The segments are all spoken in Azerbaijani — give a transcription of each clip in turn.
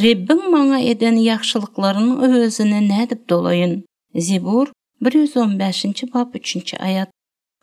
Rabbim maňa eden ýagşylyklarynyň özüne nädip dolayyn. Zebur 115-nji bab 3-nji ayat.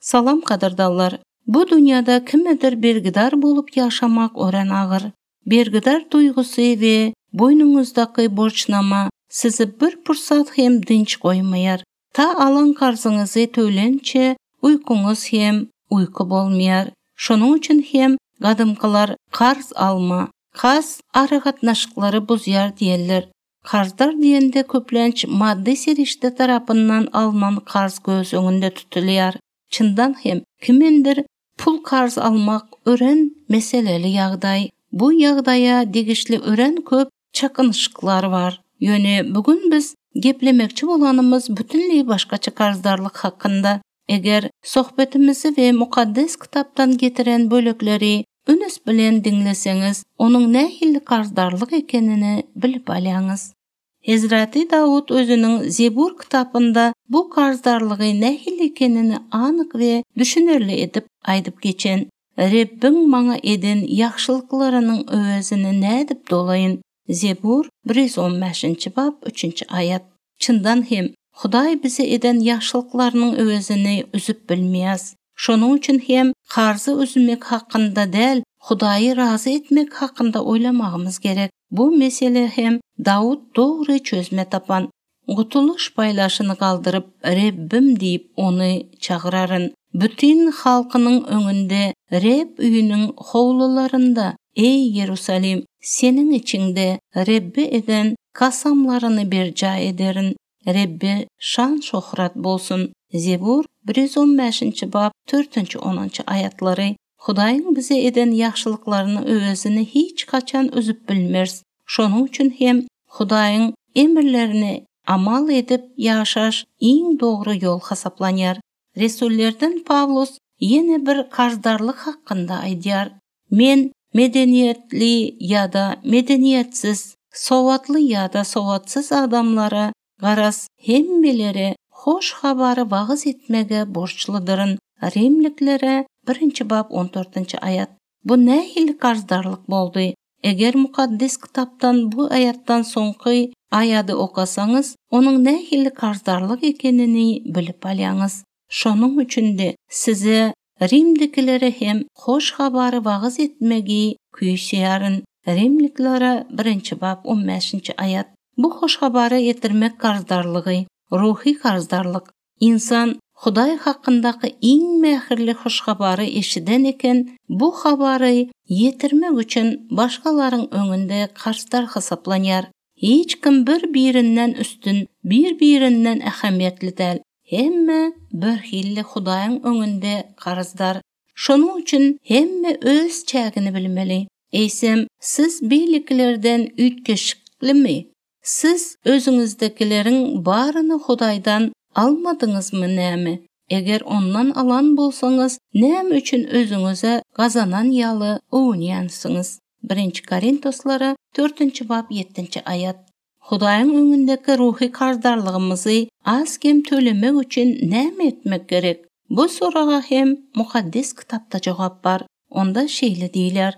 Salam kadardallar. Bu dünyada kimidir bergidar bolup yaşamak ören ağır. Bergidar duygusu ve boynunuzdaky borçnama sizi bir pursat hem dinç koymayar. Ta alan karzıňyzy tölençe uykunuz hem uyku bolmayar. Şonuň üçin hem gadymkylar karz alma, kas aragatnaşyklary buzýar diýerler. Karzdar diýende köplenç maddi serişde tarapyndan alınan karz göz öňünde tutulýar. Çyndan hem kimindir pul karz almak ören meseleli ýagdaý. Bu ýagdaýa degişli ören köp çakynşyklar bar. Ýöne bugün biz geplemekçi bolanymyz bütünleý başgaça karzdarlyk hakynda. Eger sohbetimizi we mukaddes kitapdan getiren bölekleri üns bilen dinleseňiz, onuň nähili karzdarlyk ekenini bilip alýaňyz. Hazreti Davud özüniň Zebur kitapynda bu karzdarlygy nähili ekenini anyk we düşünerli edip aýdyp geçen. Rabbim maňa eden ýagşylyklarynyň özüne nädip dolayyn. Zebur 115-nji bab 3-nji ayat. Çyndan hem Hudaý bize eden ýagşylyklarynyň özüni üzüp bilmeýäs. Şonuň üçin hem karzı üzmek hakynda däl, Hudaýy razy etmek hakynda oýlamagymyz gerek. Bu mesele hem Davud dogry çözme tapan. Gutuluş paýlaşyny galdyryp Rabbim diýip ony çagyraryn. Bütün halkynyň öňünde Reb üýüniň howlularynda ey Yerusalim, seniň içinde Rabbi eden kasamlaryny berja ederin. Rabbi şan şöhret bolsun. Zebur 115-nji bab 4-nji 10-nji ayatlary. Hudaýyň bize eden ýagşylyklaryny özüni hiç kaçan üzüp bilmers. Şonuň üçin hem Hudaýyň emirlerini amal edip ýaşaş iň dogry ýol hasaplanýar. Resullerden Pavlus ýene bir karzdarlyk hakynda aýdýar. Men medeniýetli ýa-da medeniýetsiz, sowatly ýa-da sowatsyz adamlara garas hemmeleri hoş habary wagyz etmege borçlydyryn. Rimliklere 1-nji bab 14-nji ayat. Bu nähili karzdarlyk boldy? Eger mukaddes kitapdan bu ayatdan soňky aýady okasaňyz, onuň nähili karzdarlyk ekenini bilip alýaňyz. Şonuň üçin-de size Rimdikilere hem hoş habary wagyz etmegi küýşýäryn. Rimliklere 1-nji bab 15-nji ayat. Bu hoş habary etirmek karzdarlygy, ruhy karzdarlyk. İnsan Hudaý hakyndaky iň mähirli hoş habary eşiden eken, bu habary yetirmek üçin başgalaryň öňünde karzdar hasaplanýar. Hiç kim bir-birinden üstün, bir-birinden ähemiýetli däl. Hemme bir hilli Hudaýyň öňünde karzdar. Şonuň üçin hemme öz çägini bilmeli. Eýsem, siz beýliklerden üýtgeşiklimi? Siz özüňizdekileriň baryny Hudaýdan almadyňyzmy näme? Eger ondan alan bolsaňyz, näme üçin özüňize gazanan ýaly ownýansyňyz? 1 Korintoslara 4-nji bab 7-nji ayat. Hudaýyň öňündeki ruhy kardarlygymyzy az kem tölemek üçin näme etmek gerek? Bu soraga hem mukaddes kitapda jogap bar. Onda şeýle diýler: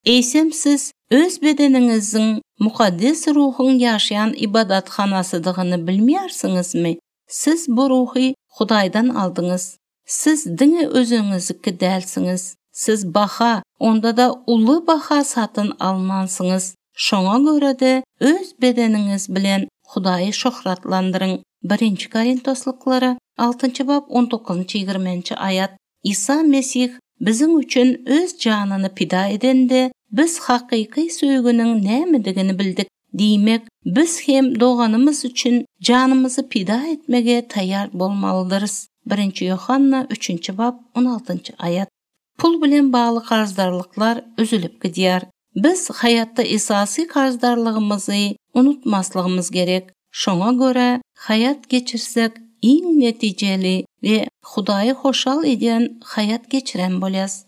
Eýsem siz öz bedeniňiziň mukaddes ruhyň ýaşaýan ibadatxanasydygyny bilmeýärsiňizmi? Siz bu ruhy Hudaýdan aldyňyz. Siz diňe özüňizniki dälsiňiz. Siz baha, onda da uly baha satyn almansyňyz. Şoňa görä de öz bedeniňiz bilen Hudaýy şöhratlandyryň. 1 Korintosliklara 6-njy bab 19-20 ayat. İsa Mesih biziň üçin öz janyny pida edende biz hakyky söýgüniň nämedigini bildik. Diýmek, biz hem doganymyz üçin janymyzy pida etmege taýýar bolmalydyryz. 1 Yohanna 3-nji bab 16-njy ayat. Pul bilen bagly karzdарлyklar üzülüp gidýär. Biz hayatda esasy karzdарлygymyzy unutmaslygymyz gerek. Şoňa görä hayat geçirsek iň netijeli we Hudaýy hoşal eden hayat geçiren bolýas.